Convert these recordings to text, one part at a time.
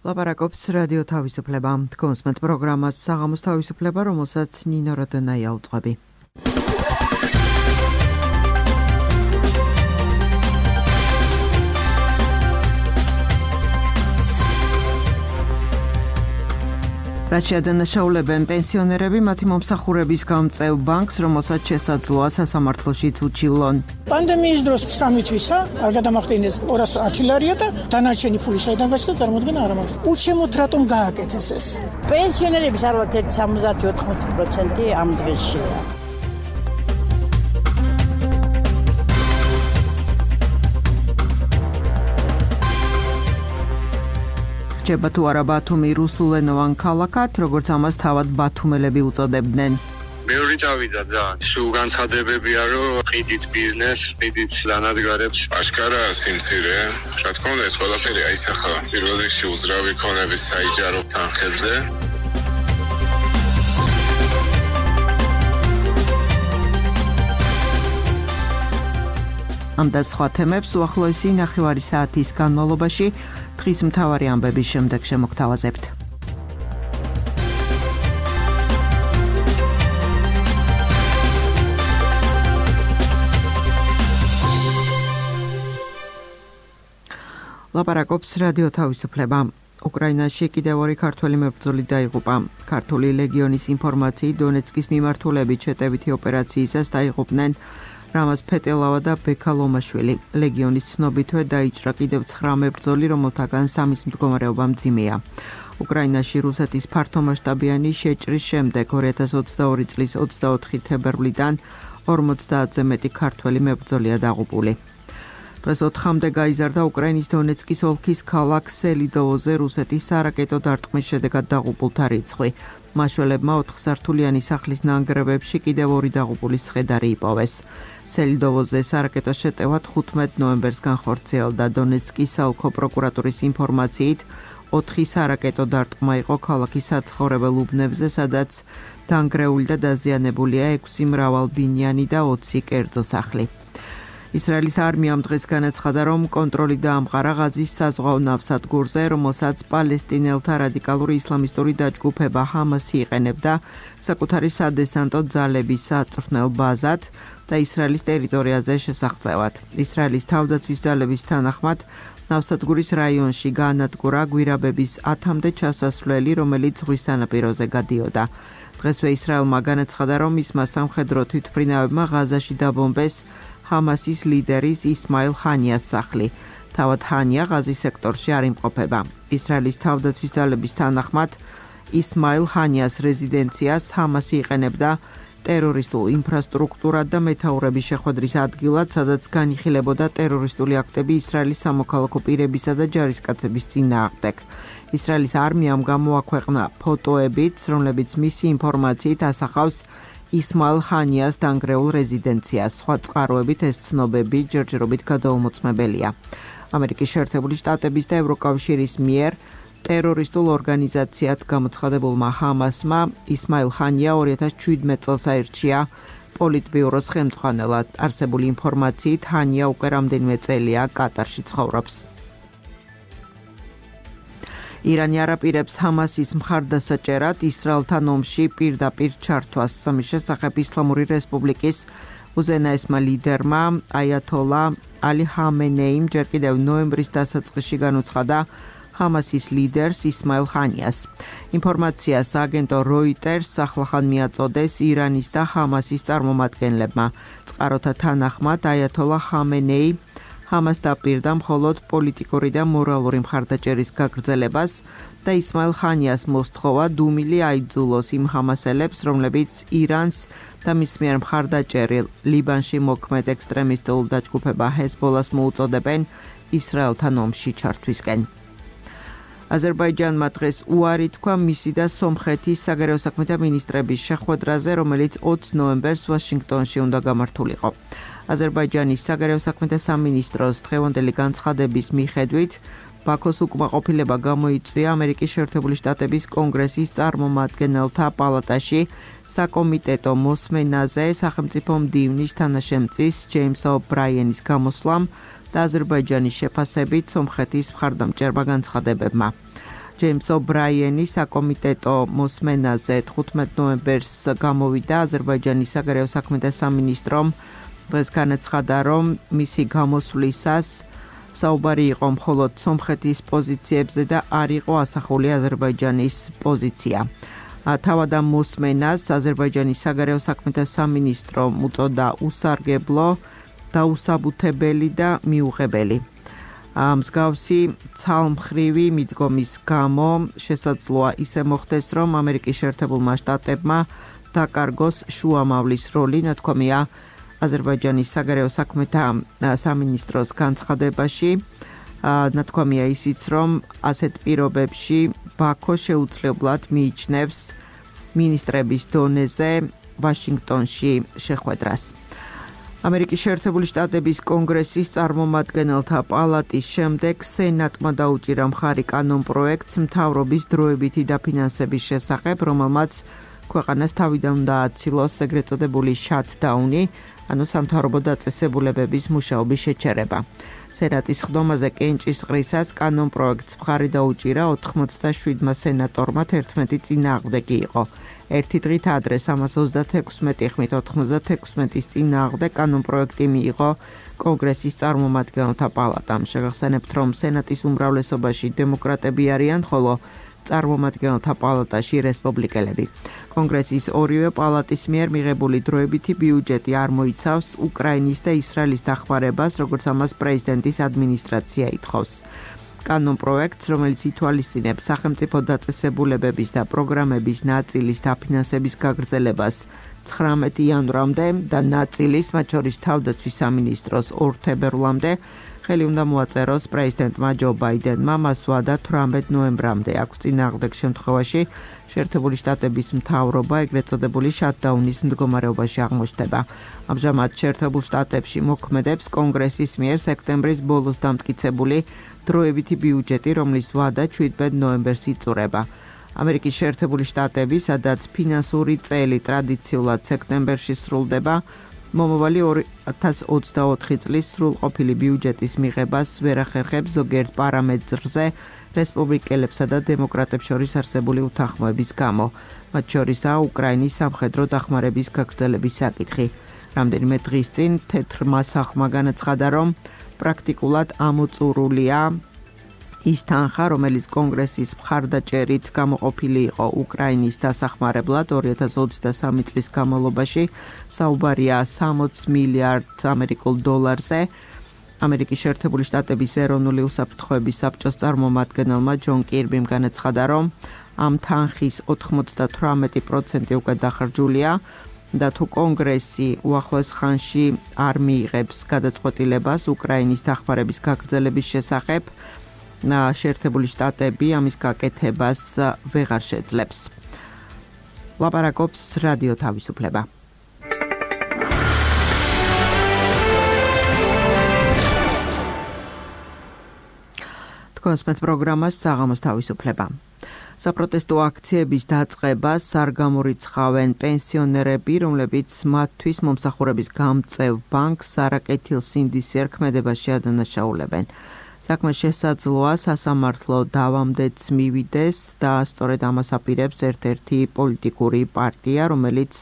ლაპარაკობს რადიო თავისუფლება. კონსმეთ პროგრამას საღამოს თავისუფლება, რომელსაც ნინო როდონაია უძღვები. რაც შეადანაშაულებენ პენსიონერები მათი მომსახურების გამწევ ბანკს, რომელსაც შესაძლოა სასამართლოშიც უჩივლონ. პანდემიის დროს 3 თვისა არ გადამახდინეს 210 ლარია და დანარჩენი ფული საიდან გაჩნდა წარმოადგენა არ ამაქვს. უჩემოთ რატომ გააკეთეს ეს? პენსიონერების ალბათ 70-80% ამ დღეში. რჩება თუ არა ბათუმი რუსულენოვან ქალაქად, როგორც ამას თავად ბათუმელები უწოდებდნენ. მეორე წავიდა ძალიან. სულ განცხადებებია, რომ ყიდით ბიზნეს, ყიდით ლანადგარებს, აშკარა სიმცირე. რა თქმა უნდა, ეს ყველაფერი აისახა პირველ რიგში უძრავი ქონების საიჯარო თანხებზე. ამ და სხვა თემებს უახლოესი ნახევარი საათის განმავლობაში დღის მთავარი ამბების შემდეგ შემოგთავაზებთ. ლაპარაკობს რადიო თავისუფლება. უკრაინაში კიდევ 2 ქართველი მებრძოლი დაიღუპა. ქართული ლეგიონის ინფორმაციით დონეცკის მიმართულებით შეტევითი ოპერაციისას დაიღუპნენ რამაზ ფეტელავა და ბექა ლომაშვილი. ლეგიონის ცნობითვე დაიჭრა კიდევ 9 მებრძოლი, რომელთაგან 3-ის მდგომარეობა მძიმეა. უკრაინაში რუსეთის ფართომასშტაბიანი შეჭრის შემდეგ 2022 წლის 24 თებერვლიდან 50-ზე მეტი ქართველი მებრძოლია დაღუპული. დღეს 4-მდე გაიზარდა უკრაინის დონეცკის ოლქის ქალაქ სელიდოვოზე რუსეთის სარაკეტო დარტყმის შედეგად დაღუპულთა რიცხვი. მაშველებმა 4-სართულიანი სახლის ნანგრევებში კიდევ 2 დაღუპულის ცხედარი იპოვეს. სელიდოვოზე სარაკეტო შეტევა 15 ნოემბერს განხორციელდა. დონეცკის საოლქო პროკურატურის ინფორმაციით 4 სარაკეტო დარტყმა იყო ქალაქის საცხოვრებელ უბნებზე, სადაც დანგრეული და დაზიანებულია 6 მრავალბინიანი და 20 კერძო სახლი. ისრაელის არმიამ დღეს განაცხადა, რომ კონტროლი დაამყარა ღაზის საზღვაო ნავსადგურზე, რომელსაც პალესტინელთა რადიკალური ისლამისტური დაჯგუფება ჰამასი იყენებდა საკუთარი სადესანტო ძალების საწვრთნელ ბაზად და ისრაელის ტერიტორიაზე შესაღწევად. ისრაელის თავდაცვის ძალების თანახმად ნავსადგურის რაიონში გაანადგურა გვირაბების 10-მდე ჩასასვლელი, რომელიც ზღვის სანაპიროზე გადიოდა. დღესვე ისრაელმა განაცხადა, რომ მისმა სამხედრო თვითმფრინავებმა ღაზაში დაბომბეს ჰამასის ლიდერის ისმაილ ჰანიას სახლი. თავად ჰანია ღაზის სექტორში არ იმყოფება. ისრაელის თავდაცვის ძალების თანახმად ისმაილ ჰანიას რეზიდენციას ჰამასი იყენებდა ტერორისტულ ინფრასტრუქტურად და მეთაურების შეხვედრის ადგილად, სადაც განიხილებოდა ტერორისტული აქტები ისრაელის სამოქალაქო პირებისა და ჯარისკაცების წინააღმდეგ. ისრაელის არმიამ გამოაქვეყნა ფოტოებიც, რომლებიც მისი ინფორმაციით ასახავს ისმაილ ჰანიას დანგრეულ რეზიდენციას. სხვა წყაროებით ეს ცნობები ჯერჯერობით გადაუმოწმებელია. ამერიკის შეერთებული შტატების და ევროკავშირის მიერ ტერორისტულ ორგანიზაციად გამოცხადებულმა ჰამასმა ისმაილ ჰანია 2017 წელს აირჩია პოლიტბიუროს ხელმძღვანელად. არსებული ინფორმაციით ჰანია უკვე რამდენიმე წელია კატარში ცხოვრობს. ირანი არაპირებს ჰამასის მხარდასაჭერად ისრაელთან ომში პირდაპირ ჩართვას. სამის შესახებ ისლამური რესპუბლიკის უზენაესმა ლიდერმა აიათოლა ალი ჰამენეიმ ჯერ კიდევ ნოემბრის დასაწყისში განუცხადა ჰამასის ლიდერს ისმაილ ჰანიას. ინფორმაციას აგენტო როიტერს ახლახან მიაწოდეს ირანის და ჰამასის წარმომადგენლებმა. წყაროთა თანახმად აიათოლა ჰამენეი ჰამას დაპირდა მხოლოდ პოლიტიკური და მორალური მხარდაჭერის გაგრძელებას და ისმაილ ჰანიას მოსთხოვა დუმილი აიძულოს იმ ჰამასელებს, რომლებიც ირანს და მის მიერ მხარდაჭერილ ლიბანში მოქმედ ექსტრემისტულ დაჯგუფება ჰეზბოლას მოუწოდებენ ისრაელთან ომში ჩართვისკენ. აზერბაიჯანმა დღეს უარი თქვა მისი და სომხეთის საგარეო საქმეთა მინისტრების შეხვედრაზე, რომელიც 20 ნოემბერს ვაშინგტონში უნდა გამართულიყო. აზერბაიჯანის საგარეო საქმეთა სამინისტროს დღევანდელი განცხადების მიხედვით ბაქოს უკმაყოფილება გამოიწვია ამერიკის შეერთებული შტატების კონგრესის წარმომადგენელთა პალატაში საკომიტეტო მოსმენაზე სახელმწიფო მდივნის თანაშემწის ჯეიმს ობრაიენის გამოსვლამ და აზერბაიჯანის შეფასებით სომხეთის მხარდამჭერმა განცხადებებმა. ჯეიმს ობრაიენი საკომიტეტო მოსმენაზე 15 ნოემბერს გამოვიდა. აზერბაიჯანის საგარეო საქმეთა სამინისტრომ დღეს განაცხადა, რომ მისი გამოსვლისას საუბარი იყო მხოლოდ სომხეთის პოზიციებზე და არ იყო ასახული აზერბაიჯანის პოზიცია. თავად ამ მოსმენას აზერბაიჯანის საგარეო საქმეთა სამინისტრომ უწოდა უსარგებლო, დაუსაბუთებელი და მიუღებელი. მსგავსი ცალმხრივი მიდგომის გამო შესაძლოა ისე მოხდეს, რომ ამერიკის შეერთებულმა შტატებმა დაკარგოს შუამავლის როლი, ნათქვამია აზერბაიჯანის საგარეო საქმეთა სამინისტროს განცხადებაში. ნათქვამია ისიც, რომ ასეთ პირობებში ბაქო შეუძლებლად მიიჩნევს მინისტრების დონეზე ვაშინგტონში შეხვედრას. ამერიკის შეერთებული შტატების კონგრესის წარმომადგენელთა პალატის შემდეგ სენატმა დაუჭირა მხარი კანონპროექტს მთავრობის დროებითი დაფინანსების შესახებ, რომელმაც ქვეყანას თავიდან უნდა აცილოს ეგრეთ წოდებული შატდაუნი, ანუ სამთავრობო დაწესებულებების მუშაობის შეჩერება. სენატის ხდომაზე კენჭისყრისას კანონპროექტს მხარი დაუჭირა 87 სენატორმა 11 წინააღმდეგი იყო. ერთი დღით ადრე 336 ხმით 96-ის წინააღმდეგ კანონპროექტი მიიღო კონგრესის წარმომადგენელთა პალატამ. შეგახსენებთ, რომ სენატის უმრავლესობაში დემოკრატები არიან, ხოლო წარმომადგენელთა პალატაში რესპუბლიკელები. კონგრესის ორივე პალატის მიერ მიღებული დროებითი ბიუჯეტი არ მოიცავს უკრაინის და ისრაელის დახმარებას, როგორც ამას პრეზიდენტის ადმინისტრაცია ითხოვს. კანონპროექტს, რომელიც ითვალისწინებს სახელმწიფო დაწესებულებების და პროგრამების ნაწილის დაფინანსების გაგრძელებას 19 იანვრამდე და ნაწილის, მათ შორის თავდაცვის სამინისტროს 2 თებერვლამდე, ხელი უნდა მოაწეროს პრეზიდენტმა ჯო ბაიდენმა, მას ვადა 18 ნოემბრამდე. აქვს წინააღმდეგ შემთხვევაში შეერთებული შტატების მთავრობა ეგრეთ წოდებული შატდაუნის მდგომარეობაში აღმოჩნდება. ამჟამად შეერთებულ შტატებში მოქმედებს კონგრესის მიერ სექტემბრის ბოლოს დამტკიცებული დროებითი ბიუჯეტი, რომლის ვადა 17 ნოემბერს იწურება. ამერიკის შეერთებული შტატები, სადაც ფინანსური წელი ტრადიციულად სექტემბერში სრულდება, მომავალი 2024 წლის სრულყოფილი ბიუჯეტის მიღებას ვერ ახერხებს ზოგიერთ პარამეტრზე რესპუბლიკელებსა და დემოკრატებს შორის არსებული უთანხმოების გამო, მათ შორისაა უკრაინის სამხედრო დახმარების გაგრძელების საკითხი. რამდენიმე დღის წინ თეთრმა სახლმა განაცხადა, რომ პრაქტიკულად ამოწურულია ის თანხა, რომელიც კონგრესის მხარდაჭერით გამოყოფილი იყო უკრაინის დასახმარებლად 2023 წლის განმავლობაში, საუბარია 60 მილიარდ ამერიკულ დოლარზე. ამერიკის შეერთებული შტატების ეროვნული უსაფრთხოების საბჭოს წარმომადგენელმა ჯონ კირბიმ განაცხადა, რომ ამ თანხის 98% უკვე დახარჯულია და თუ კონგრესი უახლოეს ხანში არ მიიღებს გადაწყვეტილებას უკრაინის დახმარების გაგრძელების შესახებ, შეერთებული შტატები ამის გაკეთებას ვეღარ შეძლებს. ლაპარაკობს რადიო თავისუფლება. თქვენს პროგრამას საღამოს თავისუფლება. საპროტესტო აქციების დაწყებას არ გამორიცხავენ პენსიონერები, რომლებიც მათთვის მომსახურების გამწევ ბანკს არაკეთილსინდისი ერქმედებაში ადანაშაულებენ. საქმე შესაძლოა სასამართლო დავამდეც მივიდეს და სწორედ ამას აპირებს ერთ-ერთი პოლიტიკური პარტია, რომელიც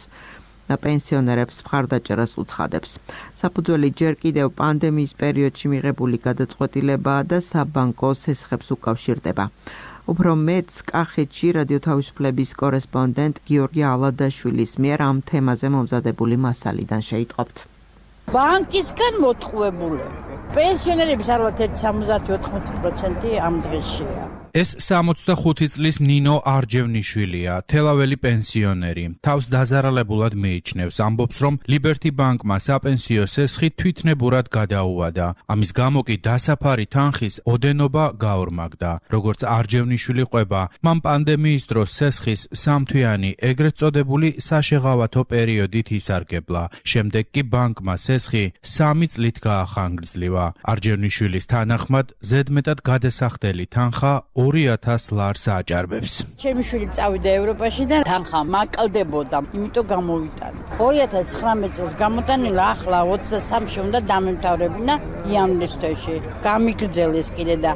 პენსიონერებს მხარდაჭერას უცხადებს. საფუძველი ჯერ კიდევ პანდემიის პერიოდში მიღებული გადაწყვეტილებაა და საბანკო სესხებს უკავშირდება. უფრო მეც კახეთში რადიო თავისუფლების კორესპონდენტ გიორგი ალადაშვილის მიერ ამ თემაზე მომზადებული მასალიდან შეიტყობთ. ბანკისგან მოტყუებული პენსიონერების არლა 70-80% ამ დღეშია. ეს 65 წლის ნინო არჯევნიშვილია, თელაველი პენსიონერი. თავს დაზარალებულად მიიჩნევს, ამბობს, რომ ლიბერტი ბანკმა საპენსიო სესხი თვითნებურად გადაუვადა. ამის გამო კი დასაფარი თანხის ოდენობა გაორმაგდა. როგორც არჯევნიშვილი ყვება, მან პანდემიის დროს სესხის სამთვიანი ეგრეთ წოდებული საშეღავათო პერიოდით ისარგებლა. შემდეგ კი ბანკმა სესხი 3 წლით გაახანგრძლივა. არჯევნიშვილის თანახმად, ზედმეტად გადასახდელი თანხა 2,000 ლარს აჭარბებს. ჩემი შვილი წავიდა ევროპაში და თანხა მაკლდებოდა, იმიტომ გამოვიტანე. 2019 წელს გამოტანილი, ახლა 23-ში უნდა დამემთავრებინა იანვრის თვეში. გამიგრძელეს კიდე და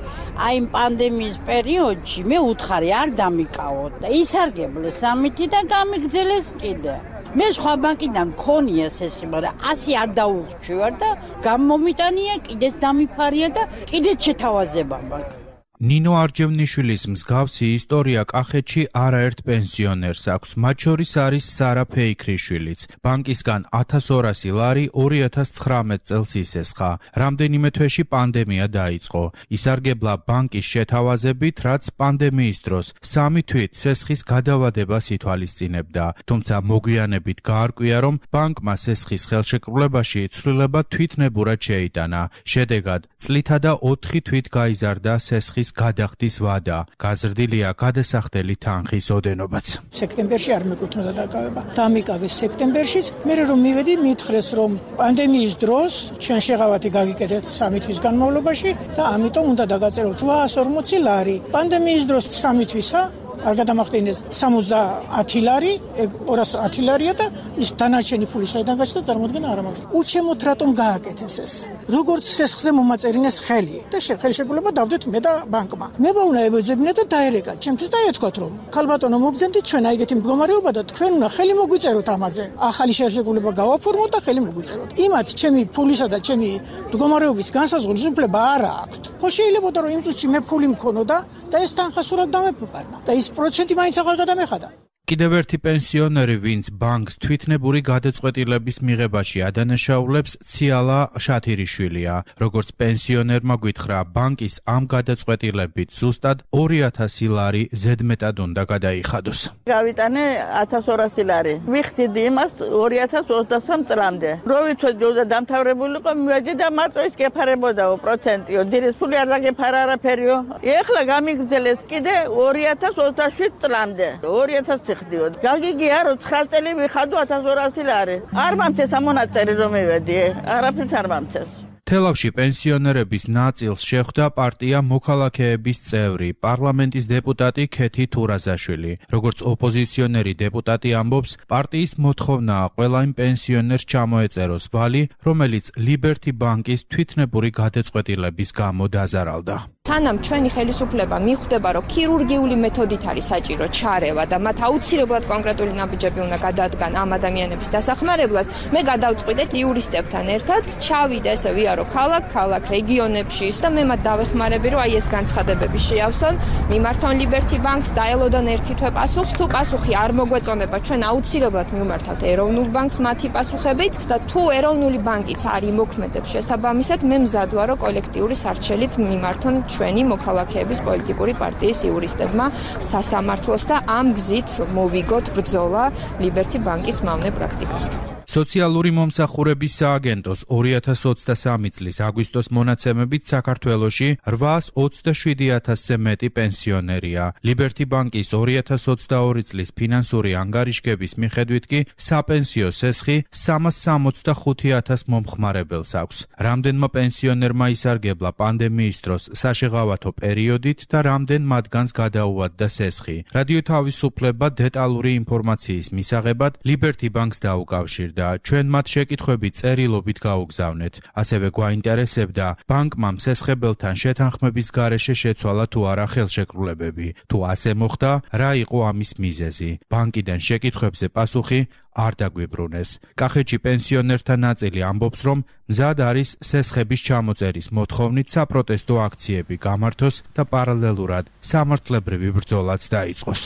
აი იმ პანდემიის პერიოდში მე უთხარი არ დამიკავოთ და ისარგებლეს ამითი და გამიგრძელეს კიდე. მე სხვა ბანკიდან მქონია სესხი, მაგრამ 100 არ დაურჩევარ და გამომიტანია, კიდეც დამიფარია და კიდეც შეთავაზება მაქვს. ნინო არჯევნიშვილის მსგავსი ისტორია კახეთში არაერთ პენსიონერს აქვს, მათ შორის არის სარა ფეიქრიშვილიც. ბანკისგან 1200 ლარი 2019 წელს ისესხა. რამდენიმე თვეში პანდემია დაიწყო. ისარგებლა ბანკის შეთავაზებით, რაც პანდემიის დროს 3 თვით სესხის გადავადებას ითვალისწინებდა. თუმცა მოგვიანებით გაარკვია, რომ ბანკმა სესხის ხელშეკრულებაში ცვლილება თვითნებურად შეიტანა. შედეგად წლითა და 4 თვით გაიზარდა სესხის გადახდის ვადა. გაზრდილია გადასახდელი თანხის ოდენობაც. სექტემბერში არ მეკუთვნოდა დაკავება. დამიკავეს სექტემბერშიც, მე რომ მივედი მითხრეს, რომ პანდემიის დროს ჩვენ შეღავათი გაგიკეთეთ 3 თვის განმავლობაში და ამიტომ უნდა დაგაწეროთ 840 ლარი. პანდემიის დროს 3 თვისა არ გადამახტინეს 70 ლარი, 210 ლარია და ის დანარჩენი ფული საიდან გაჩნდა, წარმოუდგენა არ მაქვს. უჩემოთ რატომ გააკეთეს ეს? როგორც სესხზე მომაწერინეს ხელი და ხელშეკრულება დავდეთ მე და ბანკმა. მე უნდა ებოძებინე და დაერეკა, ჩემთვის და ეთქვათ რომ ხალბატონო მოგზენდით ჩვენ აიგეთი მდგომარეობა და თქვენ უნდა ხელი მოგვიწეროთ ამაზე. ახალი ხელშეკრულება გავაფორმოთ და ხელი მოგვიწეროთ. იმათ ჩემი ფულისა და ჩემი მდგომარეობის განსაზღვრის უფლება არ აქვს. ხო შეიძლებოდა რომ იმ წუთში მე ფული მქონოდა და ეს თანხა სულად დამეფარნა და ის პროცენტი მაინც აღარ გადამეხადა. კიდევ ერთი პენსიონერი, ვინც ბანკს თვითნებური გადაწყვეტილების მიღებაში ადანაშაულებს, ციალა შათირიშვილია. როგორც პენსიონერმა გითხრა, ბანკის ამ გადაწყვეტილებით ზუსტად 2000 ლარი ზედმეტად უნდა გადაიხადოს. გავიტანე 1200 ლარი. ვიხდიდი იმას 2023 წლამდე. რო ვიცოდი რომ დამთავრებული იყო, მივედი და მარტო ის გეფარებოდაო პროცენტიო. ძირის ფული არ დაგეფარა არაფერიო. ეხლა გამიგრძელეს კიდე 2027 წლამდე. 2000 გაგიგია რომ 9 წელი ვიხადო 1200 ლარი. არ მომწეს ამონაწერი რომ მივედი, არაფერს არ მომწეს. თელავში პენსიონერების ნაწილს შეხვდა პარტია მოქალაქეების წევრი, პარლამენტის დეპუტატი ქეთი თურაზაშვილი. როგორც ოპოზიციონერი დეპუტატი ამბობს, პარტიის მოთხოვნაა ყველა იმ პენსიონერს ჩამოეწეროს ვალი, რომელიც ლიბერთი ბანკის თვითნებური გადაწყვეტილების გამო დაზარალდა. სანამ ჩვენი ხელისუფლება მიხვდება, რომ ქირურგიული მეთოდით არის საჭირო ჩარევა და მათ აუცილებლად კონკრეტული ნაბიჯები უნდა გადადგან ამ ადამიანების დასახმარებლად, მე გადავწყვიტეთ იურისტებთან ერთად, ჩავიდე ესე ვიარო ქალაქ რეგიონებში და მე მათ დავეხმარები, რომ აი ეს განცხადებები შეავსონ, მიმართონ ლიბერთი ბანკს, დაელოდონ ერთი თვე პასუხს, თუ პასუხი არ მოგვეწონება, ჩვენ აუცილებლად მივმართავთ ეროვნულ ბანკს მათი პასუხებით და თუ ეროვნული ბანკიც არ იმოქმედებს შესაბამისად, მე მზად ვარ, რომ კოლექტიური სარჩელით მიმართონ ჩვენი მოქალაქეების პოლიტიკური პარტიის იურისტებმა სასამართლოს და ამ გზით მოვიგოთ ბრძოლა ლიბერთი ბანკის მავნე პრაქტიკასთან. სოციალური მომსახურების სააგენტოს 2023 წლის აგვისტოს მონაცემებით საქართველოში 827,000-ზე მეტი პენსიონერია. ლიბერთი ბანკის 2022 წლის ფინანსური ანგარიშგების მიხედვით კი საპენსიო სესხი 365,000 მომხმარებელს აქვს. რამდენმა პენსიონერმა ისარგებლა პანდემიის დროს საშეღავათო პერიოდით და რამდენ მათგანს გადაუვადდა სესხი. რადიო თავისუფლება დეტალური ინფორმაციის მისაღებად ლიბერთი ბანკს დაუკავშირდა. ჩვენ მათ შეკითხვები წერილობით გაუგზავნეთ. ასევე გვაინტერესებდა, ბანკმა სესხებელთან შეთანხმების გარეშე შეცვალა თუ არა ხელშეკრულებები. თუ ასე მოხდა, რა იყო ამის მიზეზი? ბანკიდან შეკითხვებზე პასუხი არ დაგვიბრუნეს. კახეთში პენსიონერთა ნაწილი ამბობს, რომ მზად არის სესხების ჩამოწერის მოთხოვნით საპროტესტო აქციები გამართოს და პარალელურად სამართლებრივი ბრძოლაც დაიწყოს.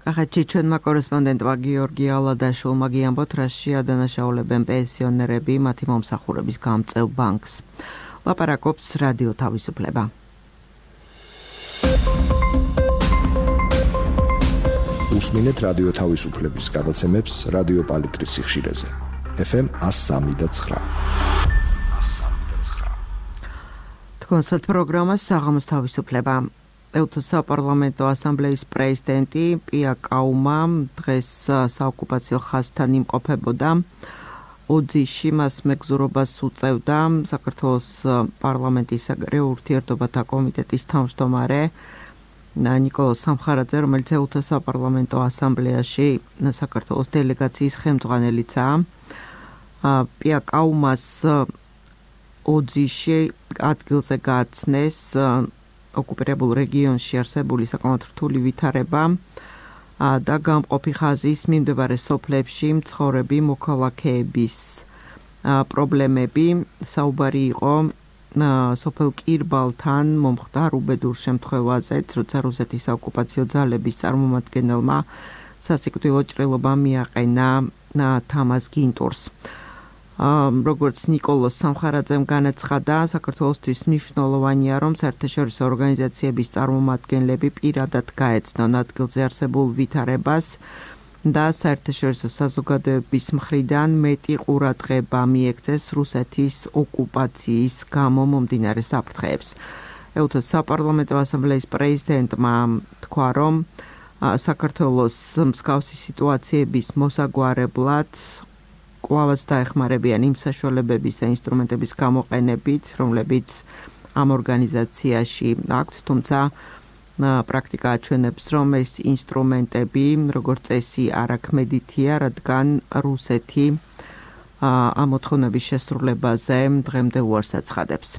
კახეთში ჩვენმა კორესპონდენტმა გიორგი ალადაშვილმა გიამბოთ, რაში ადანაშაულებენ პენსიონერები მათი მომსახურების გამწევ ბანკს. ლაპარაკობს რადიო თავისუფლება. უსმინეთ რადიო თავისუფლების გადაცემებს რადიო პალიტრის სიხშირეზე. FM 103.9. თქვენს პროგრამას საღამოს თავისუფლება. ეუთოს საპარლამენტო ასამბლეის პრეზიდენტი პია კაუმა დღეს საოკუპაციო ხაზთან იმყოფებოდა. ოძიში მას მეგზურობას უწევდა საქართველოს პარლამენტის საგარეო ურთიერთობათა კომიტეტის თავმჯდომარე ნიკოლოზ სამხარაძე, რომელიც ეუთო საპარლამენტო ასამბლეაში საქართველოს დელეგაციის ხელმძღვანელიცაა. პია კაუმას ოძიში ადგილზე გააცნეს ოკუპირებულ რეგიონში არსებული საკმაოდ რთული ვითარება და გამყოფი ხაზის მიმდებარე სოფლებში მცხოვრები მოქალაქეების პრობლემები. საუბარი იყო სოფელ კირბალთან მომხდარ უბედურ შემთხვევაზეც, როცა რუსეთის საოკუპაციო ძალების წარმომადგენელმა სასიკვდილო ჭრილობა მიაყენა თამაზ გინტურს. როგორც ნიკოლოზ სამხარაძემ განაცხადა, საქართველოსთვის მნიშვნელოვანია, რომ საერთაშორისო ორგანიზაციების წარმომადგენლები პირადად გაეცნონ ადგილზე არსებულ ვითარებას და საერთაშორისო საზოგადოების მხრიდან მეტი ყურადღება მიექცეს რუსეთის ოკუპაციის გამო მომდინარე საფრთხეებს. ეუთოს საპარლამენტო ასამბლეის პრეზიდენტმა თქვა, რომ საქართველოს მსგავსი სიტუაციების მოსაგვარებლად კვლავაც დაეხმარებიან იმ საშუალებების და ინსტრუმენტების გამოყენებით, რომლებიც ამ ორგანიზაციაში აქვთ, თუმცა პრაქტიკა აჩვენებს, რომ ეს ინსტრუმენტები, როგორც წესი, არაქმედითია, რადგან რუსეთი ამ მოთხოვნების შესრულებაზე დღემდე უარს აცხადებს.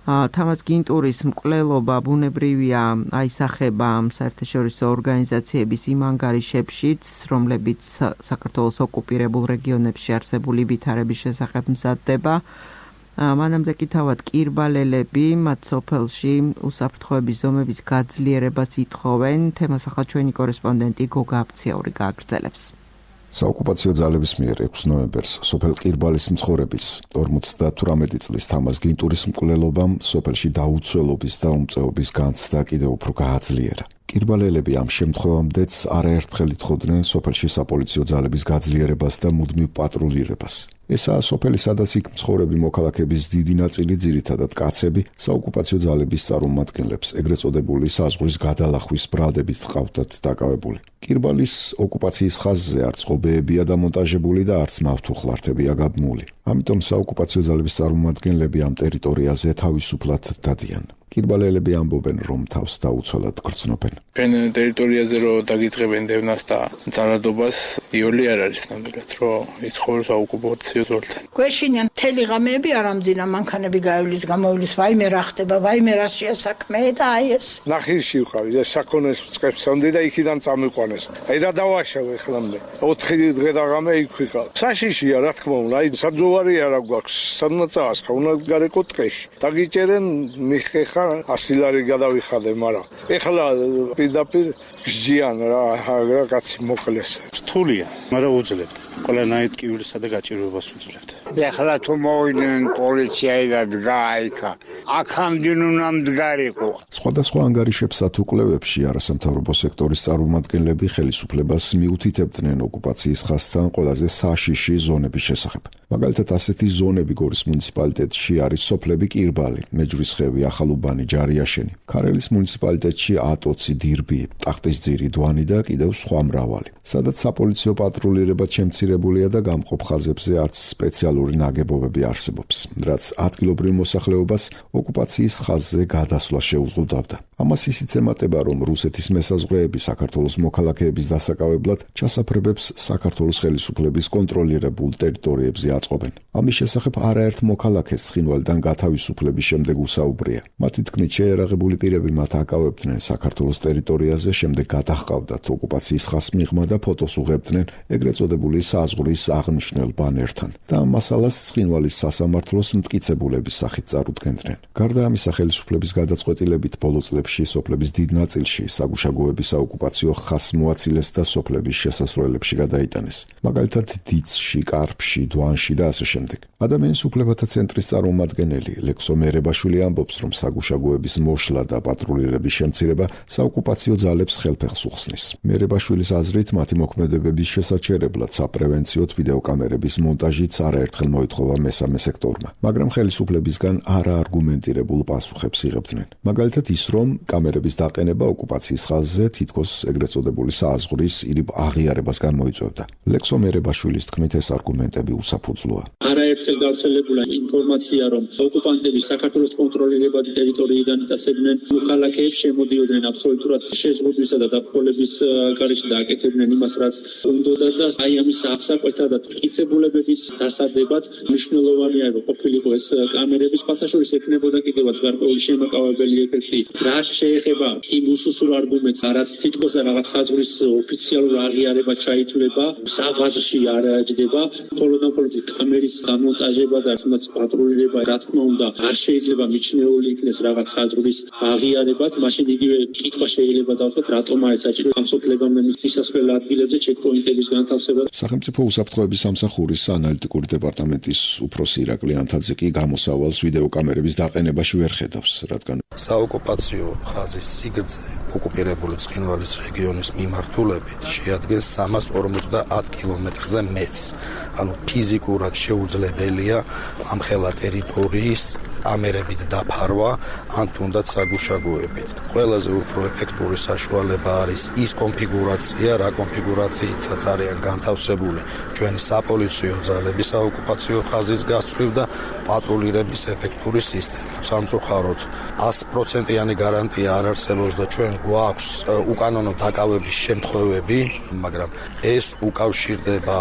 თამაზ გინტურის მკვლელობა ბუნებრივია აისახება საერთაშორისო ორგანიზაციების იმ ანგარიშებშიც, რომლებიც საქართველოს ოკუპირებულ რეგიონებში არსებული ვითარების შესახებ მზადდება. მანამდე კი თავად კირბალელები მათ სოფელში უსაფრთხოების ზომების გაძლიერებას ითხოვენ. თემას ახლა ჩვენი კორესპონდენტი გოგა აფციაური გააგრძელებს. საოკუპაციო ძალების მიერ 6 ნოემბერს სოფელ ყირბალის მცხოვრების 58 წლის თამაზ გინტურის მკვლელობამ სოფელში დაუცველობის და უმწეობის განცდა კიდევ უფრო გააძლიერა. კირბალელები ამ შემთხვევამდეც არაერთხელ ითხოვდნენ სოფელში საპოლიციო ძალების გაძლიერებას და მუდმივ პატრულირებას. ესაა სოფელი, სადაც იქ მცხოვრები მოქალაქეების დიდი ნაწილი, ძირითადად კაცები, საოკუპაციო ძალების წარმომადგენლებს, ეგრეთ წოდებული საზღვრის გადალახვის ბრალდებით ჰყავდათ დაკავებული. კირბალის ოკუპაციის ხაზზე არც ღობეებია დამონტაჟებული და არც მავთუხლართებია გაბმული. ამიტომ საოკუპაციო ძალების წარმომადგენლები ამ ტერიტორიაზე თავისუფლად დადიან. კირბალელები ამბობენ, რომ თავს დაუცველად გრძნობენ. ჩვენ ტერიტორიაზე რო დაგიწყებენ დევნას და ძალადობას, იოლი არ არის ნამდვილად, რომ იცხოვროს საოკუპაციო ძალთან. გვეშინიან მთელი ღამეები არ ამძინა, მანქანები გაივლის, გამოვლის, ვაიმე რა ხდება, ვაიმე რა შეასაქმე და აი ეს. ნახირში ვყავი და საქონელს ვწყებსამდე და იქიდან წამიყვანეს. აი რა დავაშავე ხლამდე. 4 დღე და ღამე იქ ვიყავ. საშიშია რა თქმა უნდა, აი საძოვარი არა გვაქვს, სადღაც წაასხა, უნდა გარეკო ტყეში. დაგიჭერენ მიხეხა 100 ლარი გადავიხადე, მაგრამ ეხლა პირდაპირ გჯიან რა კაცი მოკლეს. რთულია, მაგრამ უძლებთ. ყველანაირ ტკივილსა და გაჭირვებას უძლებთ. ეხლა თუ მოვიდნენ პოლიციայի და დგაიქა, აქამდე უნდა მდგარიყო. სხვადასხვა ანგარიშებსა თუ კვლევებში არასამთავრობო სექტორის წარმომადგენლები ხელისუფლებას მიუთითებდნენ ოკუპაციის ხაზთან ყველაზე საშიში ზონების შესახებ. მაგალითად, ასეთი ზონები გორის მუნიციპალიტეტში არის სოფლები კირბალი, მეჯვრისხევი, ახალუბანი, ჯარიაშენი, ქარელის მუნიციპალიტეტში ატოცი, დირბი, ტახტისძირი, დვანი და კიდევ სხვა მრავალი. სადაც საპოლიციო პატრულირება შემცირებულია და გამყოფ ხაზებზე არც სპეციალური ნაგებობები არსებობს, რაც ადგილობრივ მოსახლეობას ოკუპაციის ხაზზე გადასვლა შეუზღუდავდა. ამას ისიც ემატება, რომ რუსეთის მესაზღვრეები საქართველოს მოქალაქეების დასაკავებლად ჩასაფრებებს საქართველოს ხელისუფლების კონტროლირებულ ტერიტორიებზე აწყობენ. ამის შესახებ არაერთ მოქალაქეს ცხინვალიდან გათავისუფლების შემდეგ usაუბრია. მათი თქმით, შეერაღებული პირები მათ აკავებდნენ საქართველოს ტერიტორიაზე, შემდეგ გადაჰყავდათ ოკუპაციის ხაზს მიღმა და ფოტოს უღებდნენ ეგრეთ წოდებული საზღვრის აღნიშნულ ბანერთან და ამ მასალას ცხინვალის სასამართლოს მტკიცებულების სახით წარუდგენდნენ. გარდა ამისა, ხელისუფლების გადაწყვეტილებით ბოლო წლებში სოფლების დიდ ნაწილში საგუშაგოების საოკუპაციო ხაზს მოაცილეს და სოფლების შესასვლელებში გადაიტანეს. მაგალითად, დიცში, კარფში, დვანში და ასე შემდეგ. ადამიანის უფლებათა ცენტრის წარმომადგენელი ლექსო მერებაშვილი ამბობს, რომ საგუშაგოების მოშლა და პატრულირების შემცირება საოკუპაციო ძალებს ხელფეხს უხსნის. მერებაშვილის აზრით, მათი მოქმედებების შესაჩერებლად საპრევენციოდ ვიდეოკამერების მონტაჟიც არაერთხელ მოითხოვა მესამე სექტორმა, მაგრამ ხელისუფლებისგან არაარგუმენტირებულ პასუხებს იღებდნენ. მაგალითად ის, რომ კამერების დაყენება ოკუპაციის ხაზზე თითქოს ეგრეთ წოდებული საზღვრის ირიბ აღიარებას გამოიწვევდა. ლექსო მერებაშვილის თქმით, ეს არგუმენტები უსაფრთხოა. საფუძვლოა. არაერთხელ გავრცელებული ინფორმაცია, რომ ოკუპანტები საქართველოს კონტროლირებადი ტერიტორიიდან იტაცებდნენ მოქალაქეებს, შემოდიოდნენ აბსოლუტურად შეზღუდვისა და დაფრთხოლების გარეშე და აკეთებდნენ იმას, რაც უნდოდა და აი ამის აღსაკვეთად და მტკიცებულებების დასადებად მნიშვნელოვანია, რომ ყოფილიყო ეს კამერების ფათაშორის ექნებოდა კიდევაც გარკვეული შემაკავებელი ეფექტი. რა შეეხება იმ უსუსურ არგუმენტს, რაც თითქოს რაღაც საზღვრის ოფიციალურ აღიარება ჩაითვლება, საღვაზში არ ჯდება, მხოლოდ კამერის დამონტაჟება და თუნდაც პატრულირება, რა თქმა უნდა, არ შეიძლება მიჩნეული იქნეს რაღაც საზღვრის აღიარებად, მაშინ იგივე კითხვა შეიძლება დავსვათ, რატომაა საჭირო ამ სოფლებამ მისასვლელ ადგილებზე ჩეკპოინტების განთავსება. სახელმწიფო უსაფრთხოების სამსახურის ანალიტიკური დეპარტამენტის უფროსი ირაკლი ანთაძე კი გამოსავალს ვიდეო კამერების დაყენებაში ვერ ხედავს, რადგან საოკუპაციო ხაზის სიგრძე ოკუპირებული ცხინვალის რეგიონის მიმართულებით შეადგენს 350 კილომეტრზე მეტს. ანუ ფიზიკურად შეუძლებელია ამ ხელა ტერიტორიის კამერებით დაფარვა, ან თუნდაც საგუშაგოებით. ყველაზე უფრო ეფექტური საშუალება არის ის კონფიგურაცია, რა კონფიგურაციითაც არიან განთავსებული ჩვენი საპოლიციო ძალების საოკუპაციო ხაზის გასწვრივ და პატრულირების ეფექტური სისტემა. სამწუხაროდ 100%-იანი გარანტია არ არსებობს და ჩვენ გვაქვს უკანონო დაკავების შემთხვევები, მაგრამ ეს უკავშირდება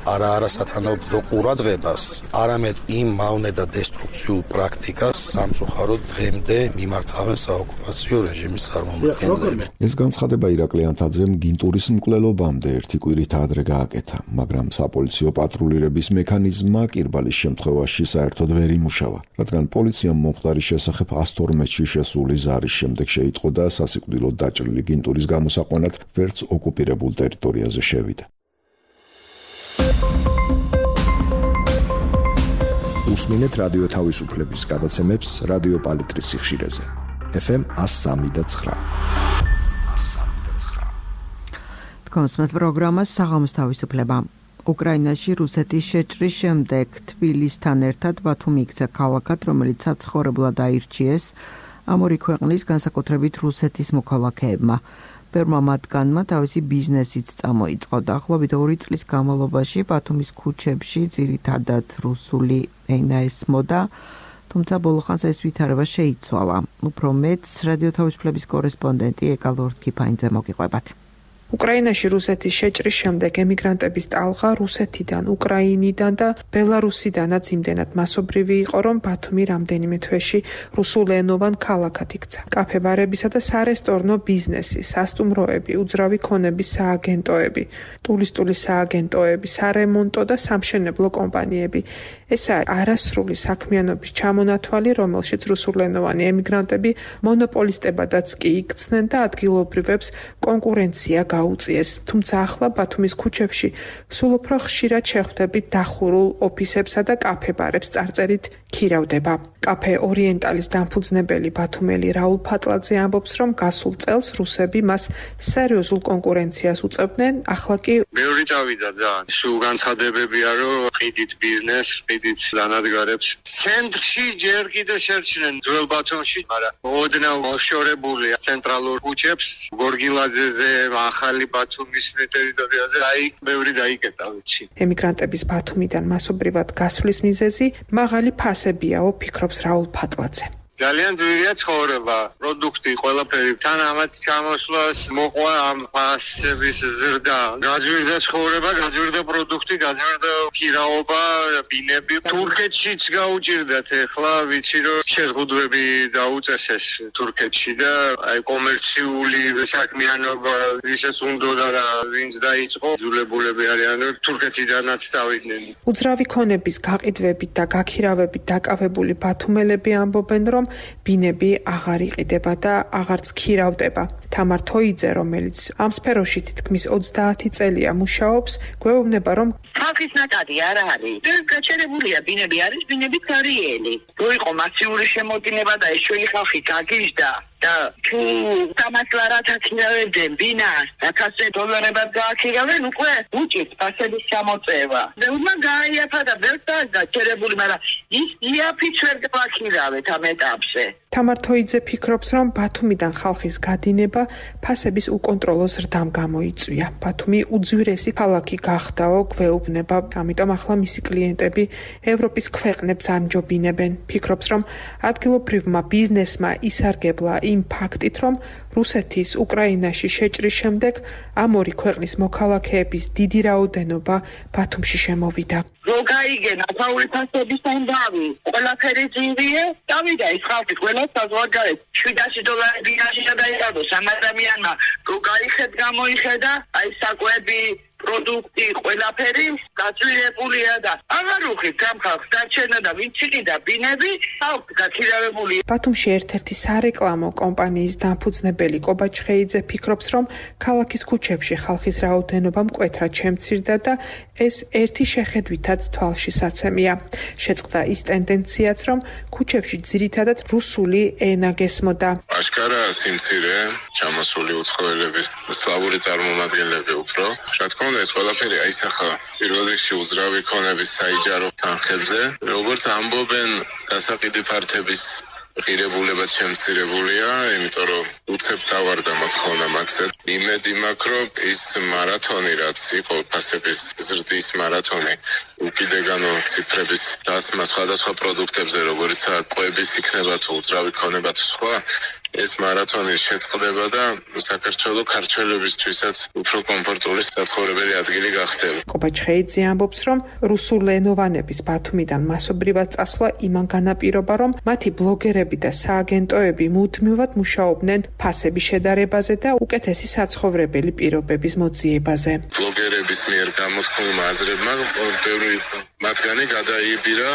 არა სათანადო ყურადღებას, არამედ იმ მავნე და დესტრუქციულ პრაქტიკას სამწუხაროდ დღემდე მიმართავენ საოკუპაციო რეჟიმის წარმომადგენლები. ეს განცხადება ირაკლი ანთაძემ გინტურის მკვლელობამდე ერთი კვირით ადრე გააკეთა, მაგრამ საპოლიციო პატრულირების მექანიზმმა კირბალის შემთხვევაში საერთოდ ვერ იმუშავა, რადგან პოლიციამ მომხდარის შესახებ 112-ში შესული ზარის შემდეგ შეიტყო და სასიკვდილოდ დაჭრილი გინტურის გამოსაყვანად ვერც ოკუპირებულ ტერიტორიაზე შევიდა. უსმინეთ რადიო თავისუფლების გადაცემებს რადიო პალიტრის სიხშირეზე. FM 103.9. კონსმეთ პროგრამას საღამოს თავისუფლება. უკრაინაში რუსეთის შეჭრის შემდეგ თბილისთან ერთად ბათუმი იქცა ქალაქად, რომელიც საცხოვრებლად აირჩიეს ამ ორი ქვეყნის განსაკუთრებით რუსეთის მოქალაქეებმა. ბევრმა მათგანმა თავისი ბიზნესიც წამოიწყო. დაახლოებით 2 წლის განმავლობაში ბათუმის ქუჩებში ძირითადად რუსული ენა ესმოდა, თუმცა ბოლოხანს ეს ვითარება შეიცვალა. უფრო მეტს რადიო თავისუფლების კორესპონდენტი ეკალორთქიფაინძე მოგიყვებათ. უკრაინაში რუსეთის შეჭრის შემდეგ ემიგრანტების ტალღა რუსეთიდან, უკრაინიდან და ბელარუსიდანაც იმდენად მასობრივი იყო, რომ ბათუმი რამდენიმე თვეში რუსულენოვან ქალაქად იქცა. კაფე-ბარებისა და სარესტორნო ბიზნესი, სასტუმროები, უძრავი ქონების სააგენტოები, ტურისტული სააგენტოები, სარემონტო და სამშენებლო კომპანიები. ესაა არასრული საქმიანობის ჩამონათვალი, რომელშიც რუსულენოვანი ემიგრანტები მონოპოლისტებადაც კი იქცნენ და ადგილობრივებს კონკურენცია გაუწიეს. თუმცა ახლა ბათუმის ქუჩებში სულ უფრო ხშირად შეხვდებით დახურულ ოფისებსა და კაფე-ბარებს წარწერით ქირავდება. კაფე ორიენტალის დამფუძნებელი ბათუმელი რაულ ფატლაძე ამბობს, რომ გასულ წელს რუსები მას სერიოზულ კონკურენციას უწევდნენ, ახლა კი ბევრი წავიდა ძალიან. სულ განცხადებებია, რომ ყიდით ბიზნეს, ყიდით დანადგარებს. ცენტრში ჯერ კიდე შერჩნენ ძველ ბათუმში, მაგრამ ოდნავ მოშორებულია ცენტრალურ ქუჩებს, გორგილაძეზე, ახალი ბათუმის ტერიტორიაზე, აი ბევრი დაიკეტა, ვიცი. ემიგრანტების ბათუმიდან მასობრივად გასვლის მიზეზი მაღალი ფასებიაო, ფიქრობს რაულ ფატლაძე. ძალიან ძვირია ცხოვრება, პროდუქტი ყველაფერი. თან ამათ ჩამოსვლას მოყვა ამ ფასების ზრდა. გაძვირდა ცხოვრება, გაძვირდა პროდუქტი, გაძვირდა ქირაობა, ბინები. თურქეთშიც გაუჭირდათ ახლა, ვიცი რომ შეზღუდვები დაუწესეს თურქეთში და აი კომერციული საქმიანობა ისეც უნდოდა და ვინც დაიწყო, ძულებულები არიან, თურქეთიდანაც წავიდნენ. უძრავი ქონების გაყიდვებით და გაქირავებით დაკავებული ბათუმელები ამბობენ, რომ ბინები აღარ იყიდება და აღარც ქირავდება. თამარ თოიძე, რომელიც ამ სფეროში თითქმის 30 წელია მუშაობს, გვეუბნება, რომ ხალხის ნაკადი არ არის. გაჩერებულია ბინები არის, ბინები კარიელი. რო იყო მასიური შემოდინება და ეს ჩვენი ხალხი გაგიჟდა, და თუ $300 აქირავენ ბინას $100 გააქირავენ უკვე უჭირს ფასების ჩამოწევა. ბევრმა გაიაფა და ბევრს გაჩერებული, მაგრამ ის იაფით ვერ გააქირავეთ ამ ეტაპზე. თამარ თოიძე ფიქრობს, რომ ბათუმიდან ხალხის გადინება ფასების უკონტროლო ზრდამ გამოიწვია. ბათუმი უძვირესი ქალაქი გახდაო, გვეუბნება, ამიტომ ახლა მისი კლიენტები ევროპის ქვეყნებს ამჯობინებენ. ფიქრობს, რომ ადგილობრივმა ბიზნესმა ისარგებლა იმ ფაქტით, რომ რუსეთის უკრაინაში შეჭრის შემდეგ ამ ორი ქვეყნის მოქალაქეების დიდი რაოდენობა ბათუმში შემოვიდა. Rogaigena ახალი ფასების ამბავი, ყველაფერი ძინვია, დავიდა ის ხალხი ყველა საზღვარგარეთ $700 ბინაში გადაიღო სამ ადამიანმა, როგაიხეთ გამოიხედა, აი საკვები პროდუქტი ყველაფერი გაწვირებულია და აღარ უხით ამ ხალხს დარჩენა და ვინც იყიდა ბინები, ხალხი გაქირავებული. ბათუმში ერთ-ერთი სარეკლამო კომპანიის დამფუძნებელი კობა ჩხეიძე ფიქრობს, რომ ქალაქის ქუჩებში ხალხის რაოდენობა მკვეთრად შემცირდა და ეს ერთი შეხედვითაც თვალშისაცემია. შეწყდა ის ტენდენციაც, რომ ქუჩებში ძირითადად რუსული ენა გესმოდა. აშკარაა სიმცირე, ჩამოსული უცხოელები, სლავური წარმომადგენლები უფრო. რა თქმა უნდა, ეს ყველაფერი აისახა პირველ რიგში უძრავი ქონების საიჯარო თანხებზე, როგორც ამბობენ, გასაყიდი ფართების ღირებულებაც შემცირებულია, იმიტომ რომ უცებ დავარდა მოთხოვნა მათზე. იმედი მაქვს, რომ ის მარათონი, რაც იყო ფასების ზრდის მარათონი, უკიდეგანო ციფრების დასმა სხვადასხვა პროდუქტებზე, როგორიცაა კვების იქნება თუ უძრავი ქონება თუ სხვა, ეს მარათონი შეწყდება და საქართველოს ქართველებისთვისაც უფრო კომფორტული საცხოვრებელი ადგილი გახდება. კობა ჩხეიძე ამბობს, რომ რუსულენოვანების ბათუმიდან მასობრივად წასვლა იმან განაპირობა, რომ მათი ბლოგერები და სააგენტოები მუდმივად მუშაობდნენ ფასების შედარებაზე და უკეთესი საცხოვრებელი პირობების მოძიებაზე. ბლოგერების მიერ გამოთქმულმა აზრებმა ბევრი მათგანი გადაიბირა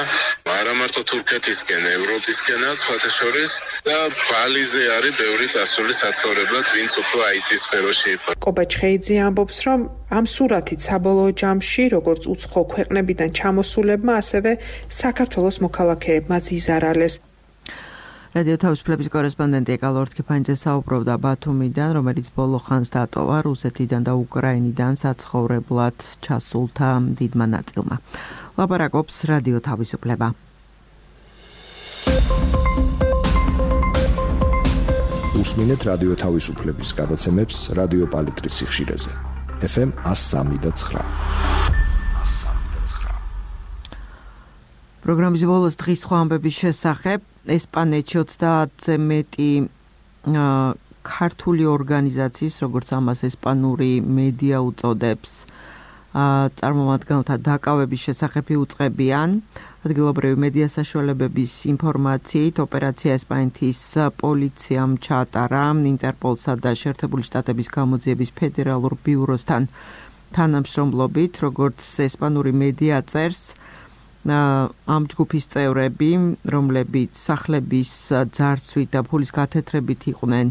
არა მარტო თურქეთისკენ, ევროპისკენაც, სხვათა შორის და ბალიზე არის ბევრი წასული საცხოვრებლად, ვინც უფრო IT სფეროში იყო. კობა ჩხეიძე ამბობს, რომ ამ სურათით საბოლოო ჯამში, როგორც უცხო ქვეყნებიდან ჩამოსულებმა, ასევე საქართველოს მოქალაქეებმაც იზარალეს. რადიო თავისუფლების კორესპონდენტი ეკალო ორთქიფანიძე საუბრობდა ბათუმიდან, რომელიც ბოლო ხანს დატოვა რუსეთიდან და უკრაინიდან საცხოვრებლად ჩასულთა დიდმა ნაწილმა. ლაპარაკობს რადიო თავისუფლება. უსმინეთ რადიო თავისუფლების გადაცემებს რადიო პალიტრის სიხშირეზე. FM 103.9. პროგრამის ბოლოს დღის სხვა ამბების შესახებ ესპანეთში 30-ზე მეტი ქართული ორგანიზაციის, როგორც ამას ესპანური მედია უწოდებს, წარმომადგენელთა დაკავების შესახებ იუწყებიან. ადგილობრივი მედია საშუალებების ინფორმაციით ოპერაცია ესპანეთის პოლიციამ ჩაატარა ინტერპოლსა და შეერთებული შტატების გამოძიების ფედერალურ ბიუროსთან თანამშრომლობით, როგორც ესპანური მედია წერს, ამ ჯგუფის წევრები, რომლებიც სახლების ძარცვით და ფულის გათეთრებით იყვნენ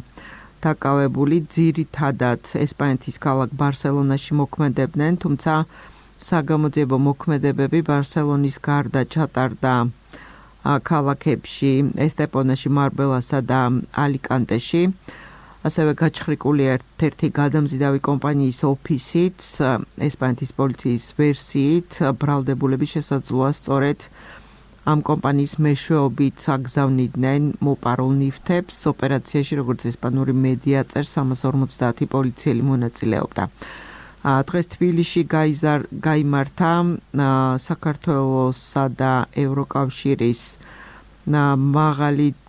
დაკავებული, ძირითადად ესპანეთის ქალაქ ბარსელონაში მოქმედებდნენ, თუმცა საგამოძიებო მოქმედებები ბარსელონის გარდა ჩატარდა ქალაქებში ესტეპონაში, მარბელასა და ალიკანტეში. ასევე გაჩხრიკული ერთ-ერთი გადამზიდავი კომპანიის ოფისით, ესპანეთის პოლიციის ვერსიით, ბრალდებულების შესაძლოა სწორედ ამ კომპანიის მეშვეობით აგზავნიდნენ მოპარულ ნივთებს. ოპერაციაში, როგორც ესპანური მედია წერს, 350 პოლიციელი მონაწილეობდა. დღეს თბილისში გაიმართა საქართველოსა და ევროკავშირის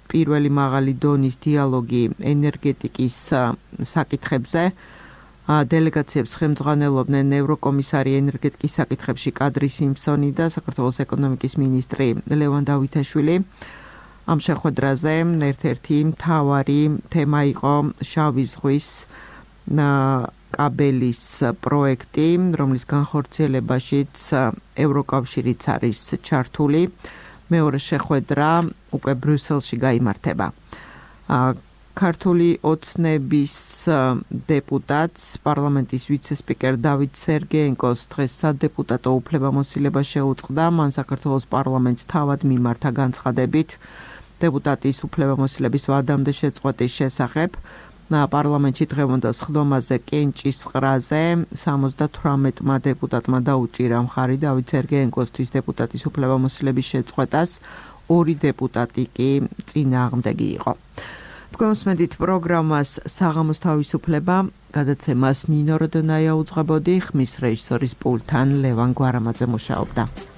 პირველი მაღალი დონის დიალოგი ენერგეტიკის საკითხებზე. დელეგაციებს ხელმძღვანელობდნენ ევროკომისარი ენერგეტიკის საკითხებში კადრი სიმსონი და საქართველოს ეკონომიკის მინისტრი ლევან დავითაშვილი. ამ შეხვედრაზე ერთ-ერთი მთავარი თემა იყო შავი ზღვის კაბელის პროექტი, რომლის განხორციელებაშიც ევროკავშირიც არის ჩართული. მეორე შეხვედრა უკვე ბრიუსელში გაიმართება. ქართული ოცნების დეპუტატს, პარლამენტის ვიცე-სპიკერ დავით სერგეენკოს დღეს სადეპუტატო უფლებამოსილება შეუწყდა. მან საქართველოს პარლამენტს თავად მიმართა განცხადებით, დეპუტატის უფლებამოსილების ვადამდე შეწყვეტის შესახებ. პარლამენტში დღევანდელ სხდომაზე კენჭისყრაზე 78-მა დეპუტატმა დაუჭირა მხარი დავით სერგეენკოსთვის დეპუტატის უფლებამოსილების შეწყვეტას, 2 დეპუტატი კი წინააღმდეგი იყო. თქვენ უსმენთ პროგრამას საღამოს თავისუფლება, გადაცემას ნინო როდონაია უძღვებოდი, ხმის რეჟისორის პულტთან ლევან გვარამაძე მუშაობდა.